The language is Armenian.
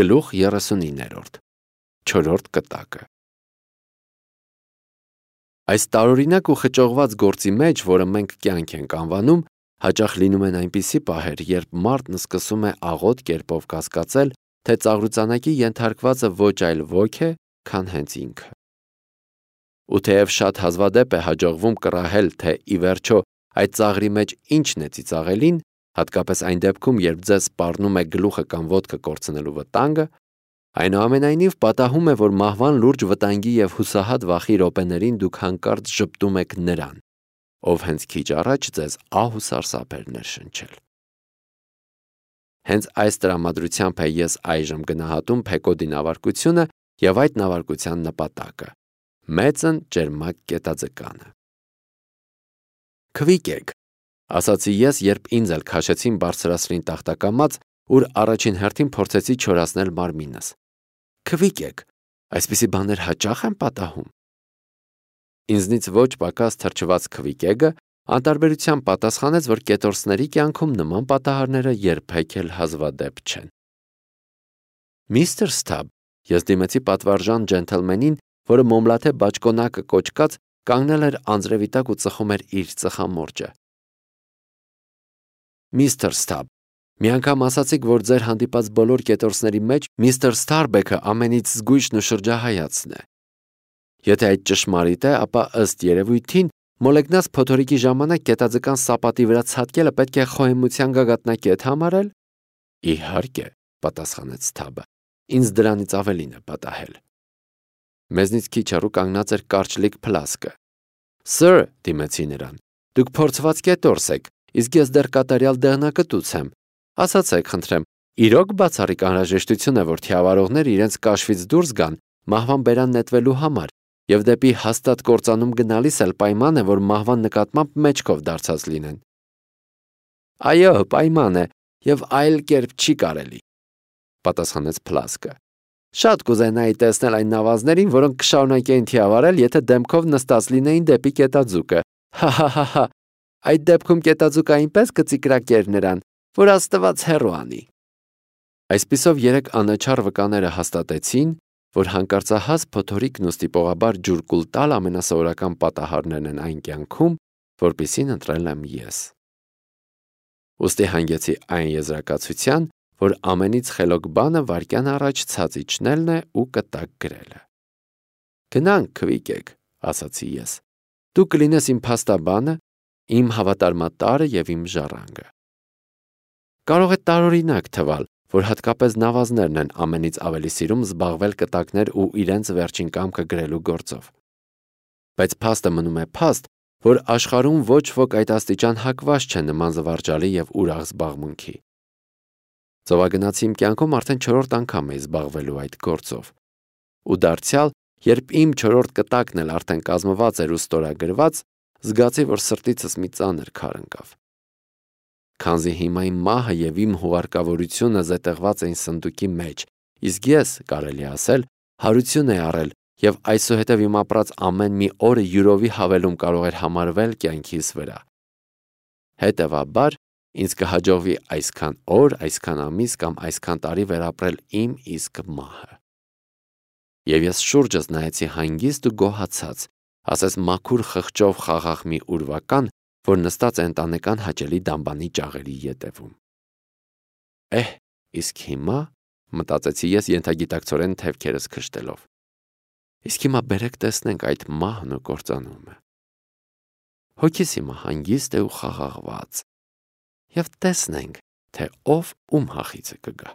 Գլուխ 39 Չորրորդ կտակը Այս տարօրինակ ու խճողված գործի մեջ, որը մենք կյանք ենք անվանում, հաճախ լինում են այնպիսի պահեր, երբ մարդն սկսում է աղոտ կերպով կասկածել, թե ծաղրուծանակի ենթարկվածը ոչ այլ ոք է, քան հենց ինքը։ Ու թեև շատ հազվադեպ է հաջողվում կռահել, թե ի վերջո այդ ծաղրի մեջ ինչն է ծիծաղելին, հատկապես այն դեպքում, երբ ձեզ սպառնում է գլուխը կամ ոտքը կորցնելու վտանգը, այնուամենայնիվ պատահում է, որ մահվան լուրջ վտանգի և հուսահատ վախի րոպեներին դուք հանկարծ ժպտում եք նրան, ով հենց քիչ առաջ ձեզ ահ ու սարսափ էր ներշնչել։ Հենց այս տրամադրությամբ է ես այժմ գնահատում Փեկոդի նավարկությունը և այդ նավարկության նպատակը՝ մեծն ճերմակ կետաձկանը։ Քվիկ եք, ասացի ես, երբ ինձ էլ քաշեցին բարձրացրին տախտակամած, ուր առաջին հերթին փորձեցի չորացնել մարմինս։ Քվիկ եք, այսպիսի բաներ հաճախ են պատահում։ Ինձնից ոչ պակաս թրջված քվիկեգը անտարբերությամբ պատասխանեց, որ կետորսների կյանքում նման պատահարները երբեք էլ հազվադեպ չեն։ Միստր Սթաբ, ես դիմեցի պատվարժան ջենթլմենին, որը մոմլաթե բաճկոնակը կոճկած կանգնել էր անձրևի տակ ու ծխում էր իր ծխամորճը։ Միստր Սթաբ, մի անգամ ասացիք, որ ձեր հանդիպած բոլոր կետորսների մեջ միստր Սթարբեքը ամենից զգույշն ու շրջահայացն է։ Եթե այդ ճշմարիտ է, ապա ըստ երևույթին մոլեգնած փոթորիկի ժամանակ կետաձկան սապատի վրա ցատկելը պետք է խոհեմության գագաթնակետ համարել։ Իհարկե, պատասխանեց Սթաբը, ինձ դրանից ավելին է պատահել։ Մեզնից քիչ հեռու կանգնած էր կարճլիկ Փլասկը։ Սըր, դիմեցի նրան, դուք փորձված կետորս եք, իսկ ես դեռ կատարյալ դեղնակտուց եմ։ Ասացեք, խնդրեմ, իրոք բացառիկ անհրաժեշտություն է, որ թիավարողները իրենց կաշվից դուրս գան մահվան բերան նետվելու համար, և դեպի հաստատ կործանում գնալիս էլ պայման է, որ մահվան նկատմամբ մեջքով դարձած լինեն։ Այո, պայման է, և այլ կերպ չի կարելի, պատասխանեց Փլասկը։ Շատ կուզենայի տեսնել այն նավազներին, որոնք կշարունակեին թիավարել, եթե դեմքով նստած լինեին դեպի կետաձուկը։ Հա, այդ դեպքում կետաձուկը այնպես կծիկրակեր նրան, որ Աստված հեռու անի։ Այսպիսով երեք անաչառ վկաները հաստատեցին, որ հանկարծահաս փոթորիկն ու ստիպողաբար ջուր կուլ տալ ամենասովորական պատահարներն են այն կյանքում, որպիսին ընտրել եմ ես։ Ուստի հանգեցի այն եզրակացության, որ ամենից խելոք բանը վայրկյան առաջ ցած իջնելն է ու կտակ գրելը։ Գնանք, քվիկեք, ասացի ես։ Դու կլինես իմ փաստաբանը, իմ հավատարմատարը և իմ ժառանգը։ Կարող է տարօրինակ թվալ, որ հատկապես նավազներն են ամենից ավելի սիրում զբաղվել կտակներ ու իրենց վերջին կամքը գրելու գործով։ Բայց փաստը մնում է փաստ, որ աշխարհում ոչ ոք այդ աստիճան հակված չէ նման զվարճալի և ուրախ զբաղմունքի։ Ծովագնացի իմ կյանքում արդեն 4-րդ անգամ էի զբաղվելու այդ գործով։ Ու դարձյալ, երբ իմ 4-րդ կտակն էլ արդեն կազմված էր ու ստորագրված, զգացի, որ սրտիցս մի ծանր քար ընկավ։ Քանզի հիմա իմ մահը և իմ հուղարկավորությունը զետեղված էին սնդուկի մեջ, իսկ ես, կարելի ասել, հարություն էի առել և այսուհետև իմ ապրած ամեն մի օրը յուրովի հավելում կարող էր համարվել կյանքիս վրա։ Հետևաբար, ինձ կհաջողվի այսքան օր, այսքան ամիս կամ այսքան տարի վերապրել իմ իսկ մահը։ Եվ ես շուրջս նայեցի հանգիստ ու գոհացած, ասես մաքուր խղճով խաղաղ մի ուրվական, որ նստած է ընտանեկան հաճելի դամբանի ճաղերի ետևում։ Իսկ հիմա, մտածեցի ես ենթագիտակցորեն թևքերս քշտելով, իսկ հիմա բերեք տեսնենք այդ մահն ու կործանումը։ Հոգիս հիմա հանգիստ է ու խաղաղված, և տեսնենք, թե ով ում հախիցը կգա։